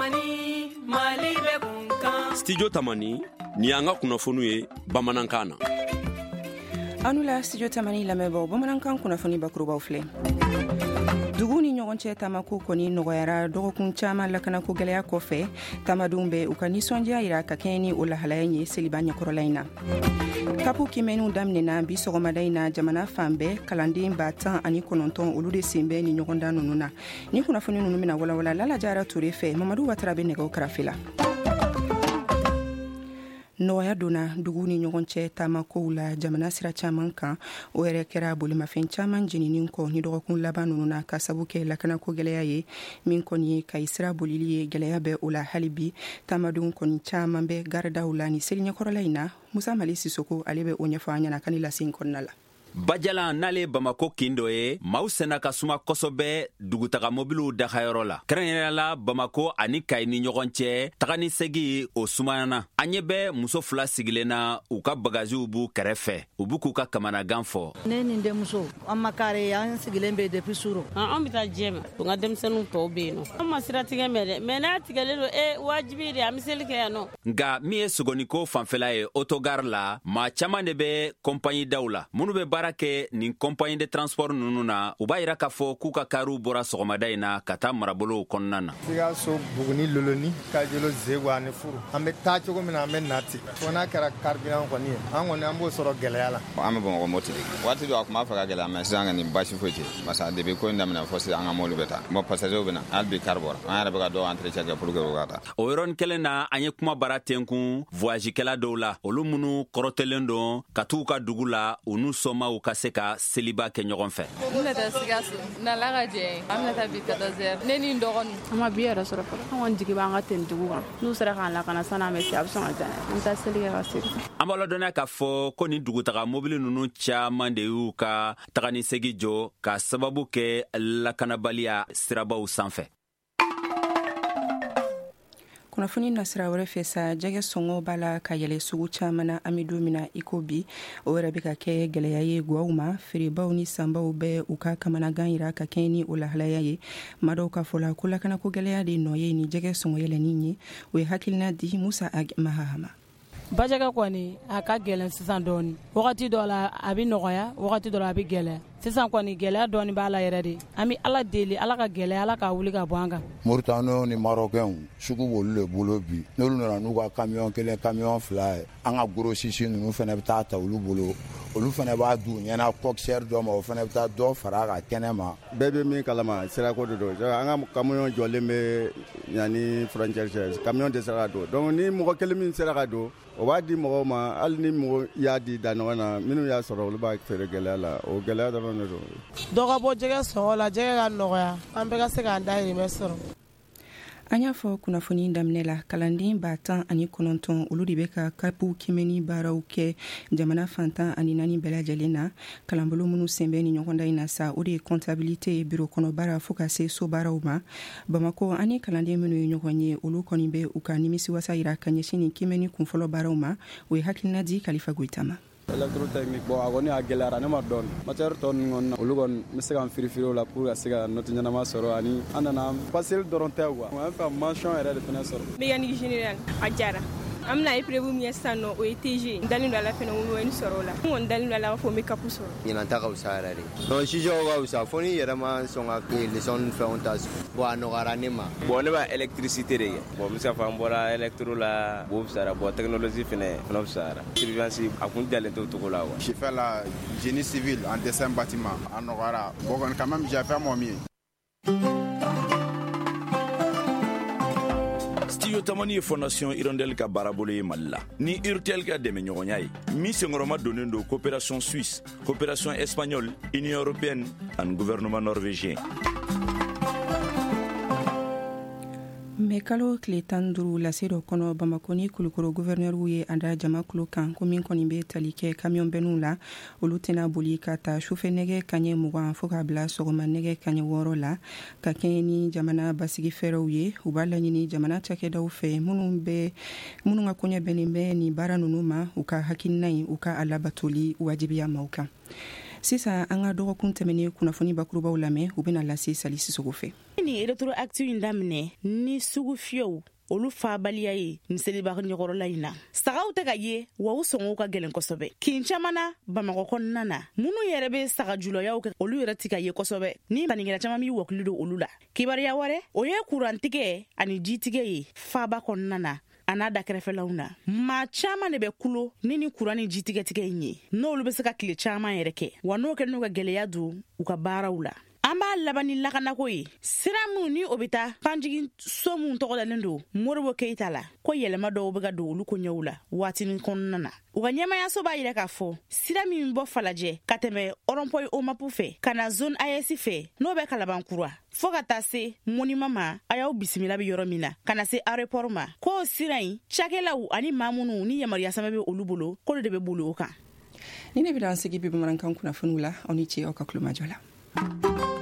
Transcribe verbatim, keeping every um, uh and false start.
Tamani, Mali bɛ kun kan. Studio Tamani, ni y'an ka kunnafoniw ye bamanankan na. Aw ni la Studio Tamani lamɛnbaaw, bamanankan kunnafoni bakurubaw filɛ. Dugu ni ɲɔgɔn cɛ taamako kɔni nɔgɔyara dɔgɔkun caman lakanako gɛlɛya kɔfɛ. Taamadenw bɛ u ka nisɔndiya yira ka kɛɲɛ ni o lahalaya in ye seliba ɲɛkɔrɔla in na. Kapu kimɛniw daminɛna bi sɔgɔmada in na jamana fan bɛɛ. Kalanden ba tan ani kɔnɔntɔn, olu de sen bɛ ni ɲɔgɔndan ninnu na. Ni kunnafoni ninnu bɛna walawala Lala Jara Ture fɛ. Mamadu Watara bɛ nɛgɛw karafe la. Nɔgɔya donna dugu ni ɲɔgɔn cɛ taamakow la jamana sira caman kan. O yɛrɛ kɛra bolimafɛn caman jenini kɔ ni dɔgɔkun laban ninnu na, ka sabu kɛ lakanako gɛlɛya ye. Min kɔni ye Kayi sira bolili ye, gɛlɛya bɛ o la hali bi. Taamadenw kɔni caman bɛ garidaw la ni seli ɲɛkɔrɔla in na. Musa Mali Sisoko, ale bɛ o ɲɛfɔ an ɲɛna ka ni lase in kɔnɔna la. Bajalan n'ale ye Bamako kin dɔ ye, maaw senna ka suma kosɛbɛ dugutaga mobiliw dagayɔrɔ la, kɛrɛnkɛrɛnnenya la Bamako ani Kayi ni ɲɔgɔn cɛ. Taga ni segi o sumayana. An ɲɛ bɛ muso fila sigilen na, u ka bagaziw b'u kɛrɛfɛ, u b'u k'u ka kamanagan fɔ. Ne ni denmuso, an ma kare, an sigilen bɛ depuis suro. An bɛ taa jɛ ma, n ka denmisɛnninw tɔw bɛ yen nɔ. An ma sira tigɛ mɛ dɛ, mɛ n'a tigɛlen don, e wajibi de, an bɛ seli kɛ yan nɔ. Nka min ye sogoniko fanfɛla ye, autogare la, maa caman de bɛ compagnie daw la. Minnu bɛ baara kɛ nin compagnie de transport ninnu na, u b'a yira k'a fɔ k'u ka kariw bɔra sɔgɔmada in na ka taa marabolow kɔnɔna na. Sikaso, Buguni, Loloni, Kajolo, Zego ani Furu, an bɛ taa cogo min na, an bɛ na ten, fo n'a kɛra carburant kɔni ye, an kɔni an b'o sɔrɔ gɛlɛya la. An bɛ Bamakɔ Moti de. Waati dɔ a tun b'a fɛ ka gɛlɛya, mɛ sisan kɔni baasi foyi tɛ, parce que depuis ko in daminɛ fo sisan, an ka mobili bɛ taa. Bon, passager bɛ na hali bi, car bɔra, an yɛrɛ bɛ ka dɔw entretien kɛ pour que u ka taa. O yɔrɔnin kelen na, an ye kuma bara tenkun voyagekɛla dɔw la, olu minnu kɔrɔtɛlen don ka t'u ka dugu la, u n'u somaaw ka se ka seliba kɛ ɲɔgɔn fɛ. N bɛna taa Sikaso n'Ala ka jɛ ye. An bɛna taa bi quatorze heures, ne ni n dɔgɔnin. An ma bi yɛrɛ sɔrɔ fɔlɔ. An kɔni jigi b'an ka tenitigiw kan. N'u sera k'an lakana sanni an bɛ se, a bɛ sɔn ka diya an ye. An bɛ taa seli kɛ ka segin. An b'a ladɔnniya k'a fɔ ko nin dugutaga mobili ninnu caman de y'u ka taga ni segi jɔ ka sababu kɛ lakanabaliya sirabaw sanfɛ. Kunnafoni nasira wɛrɛ fɛ sa, jɛgɛ sɔngɔ b'a la ka yɛlɛ sugu caman na an bɛ don min na i ko bi. O yɛrɛ bɛ ka kɛ gɛlɛya ye guwaw ma. Feerebaw ni sanbaw bɛ u ka kamanagan yira ka kɛɲɛ ni o lahalaya ye. Maa dɔw ka fɔ la ko lakanako gɛlɛya de nɔ ye ni jɛgɛ sɔngɔ yɛlɛnni ye. O ye hakilina di Musa Ag Mahahama. Bajɛgɛ kɔni a ka gɛlɛn sisan dɔɔni. Wagati dɔ la a bɛ nɔgɔya, wagati dɔ la a bɛ gɛlɛya. Sisan kɔni gɛlɛya dɔɔni b'a la yɛrɛ de. An bɛ Ala deli, Ala ka gɛlɛya, Ala k'a wuli ka bɔ an kan. Mauritaniens ni Marocains, sugu b'olu de bolo bi. N'olu nana n'u ka camion kelen, camion fila ye, an ka grossiste ninnu fana bɛ taa ta olu bolo. Olu fana b'a d'u ɲɛna coxeur dɔ ma, o fana bɛ taa dɔ fara a ka kɛnɛ ma. Bɛɛ bɛ min kalama, sirako de don. An ka camion jɔlen bɛ yanni frontière cɛ, camion tɛ se ka don. Donc ni mɔgɔ kelen min sera ka don, o b'a di mɔgɔw ma. Hali ni mɔgɔ y'a di da ɲɔgɔn na, minnu y'a sɔrɔ, olu b'a feere gɛlɛya la. O gɛlɛya dɔrɔn de don. Dɔ ka bɔ jɛgɛ sɔngɔ la, jɛgɛ ka nɔgɔya, an bɛɛ ka se k'an dahirimɛ sɔrɔ. An y'a fɔ kunnafoni daminɛ la, kalanden ba tan ani kɔnɔntɔn, olu de bɛ ka kapu kimɛni baaraw kɛ jamana fantan ani naani bɛɛ lajɛlen na. Kalanbolo minnu sen bɛ ni ɲɔgɔndan in na sa, o de ye comptabilité, biro kɔnɔ baara, fo ka se so baaraw ma. Bamako, ani kalanden minnu ye ɲɔgɔn ye, olu kɔni bɛ u ka nimisiwasa yira ka ɲɛsin nin kimɛni kunfɔlɔ baaraw ma. O ye hakilina di Kalifa Goyita ma. Électrotechnique, bon, a kɔni a gɛlɛyara ne ma dɔɔni. Matière tɔ ninnu kɔni na, olu kɔni n bɛ se ka n firifiri o la pour ka se ka note ɲɛnama sɔrɔ. Ani an nana passer dɔrɔn tɛ quoi, an fɛ ka mention yɛrɛ de fɛnɛ sɔrɔ. Mécanique générale a diyara. An bɛna épreuve min kɛ sisan nɔ, o ye T G. N dalen don a la fɛnɛ, n bɛ sɔrɔ o la. N kɔni dalen don a la k'a fɔ n bɛ CAP sɔrɔ. Ɲinan ta ka fisa yɛrɛ de. Non, sujet ka fisa, fo n'i yɛrɛ ma sɔn ka leçon ni fɛnw ta. Bon, a nɔgɔyara ne ma. Bon, ne b'a électricité de kɛ. Bon, n bɛ se k'a fɔ an bɔra électro la, o fisayara. Bon, technologie fɛnɛ fana fisayara. Surveillance a kun jalen t'o cogo la quoi. J'ai fait la génie civil en dessin bâtiment. A nɔgɔyara. Bon, quand même, j'ai fait mon mieux. Studio Tamani ye Fondation Hirondelle ka baarabolo ye Mali la ni Urtel ka dɛmɛɲɔgɔnya ye, min senkɔrɔma donnen don coopération suisse, coopération espagnole, Union européenne ani gouvernement norvégien. Mɛ kalo tile tan duuru, lase dɔ kɔnɔ, Bamako ni Kulukoro guvɛrnɛriw ye a da jama kulo kan ko min kɔni bɛ tali kɛ kamiyɔn bɛnniw la, olu tɛna boli ka ta sufɛ nɛgɛ kaɲɛ mugan fo k'a bila sɔgɔma nɛgɛ kaɲɛ wɔɔrɔ la, ka kɛɲɛ ni jamana basigi fɛɛrɛw ye. U b'a laɲini jamana cakɛdaw fɛ, minnu bɛ minnu ka koɲɛ bɛnnen bɛ nin baara ninnu ma, u ka hakilina in, u ka a labatoli wajibiya maaw kan. Sisan, an ka dɔgɔkun tɛmɛnen kunnafoni bakurubaw lamɛn. U bɛna lase Sali Sisogo fɛ. Ni rétroactive in daminɛ ni sugu fiyɛw olu faabaliya ye nin seliba ɲɛkɔrɔla in na. Sagaw tɛ ka ye wa u sɔngɔw ka gɛlɛn kosɛbɛ. Kin caman na Bamakɔ kɔnɔna na, minnu yɛrɛ bɛ sagajulɔyaw kɛ olu yɛrɛ ti ka ye kosɛbɛ, ni sannikɛla caman b'i wakili don olu la. Kibaruya wɛrɛ, o ye kurantigɛ ani jitigɛ ye faaba kɔnɔna na a n'a dakɛrɛfɛlaw na. Maa caman de bɛ kulo ni ni kuran ni jitigɛtigɛ in ye, n'olu bɛ se ka tile caman yɛrɛ kɛ, wa n'o kɛ n'u ka gɛlɛya don u ka baaraw la. An b'a laban ni lakanako ye. Sira minnu ni o bɛ taa panjigin so minnu tɔgɔ dalen don Modibo Keyita la, ko yɛlɛma dɔw bɛ ka don olu koɲɛw la waatinin kɔnɔna na. U ka ɲɛmayaso b'a yira k'a fɔ sira min bɔ Falajɛ ka tɛmɛ rond-point Omapu fɛ ka na zone A S fɛ, n'o bɛ Kalabankura fo ka taa se Monima ma, a y'aw bisimila bɛ yɔrɔ min na, ka na se aéroport ma, k'o sira in cakɛlaw ani maa minnu ni yamaruya sɛbɛn bɛ olu bolo, k'olu de bɛ boli o kan. Ni ne bɛ an sigi bi bamanankan kunnafoniw la, aw ni ce aw ka tulomajɔ la.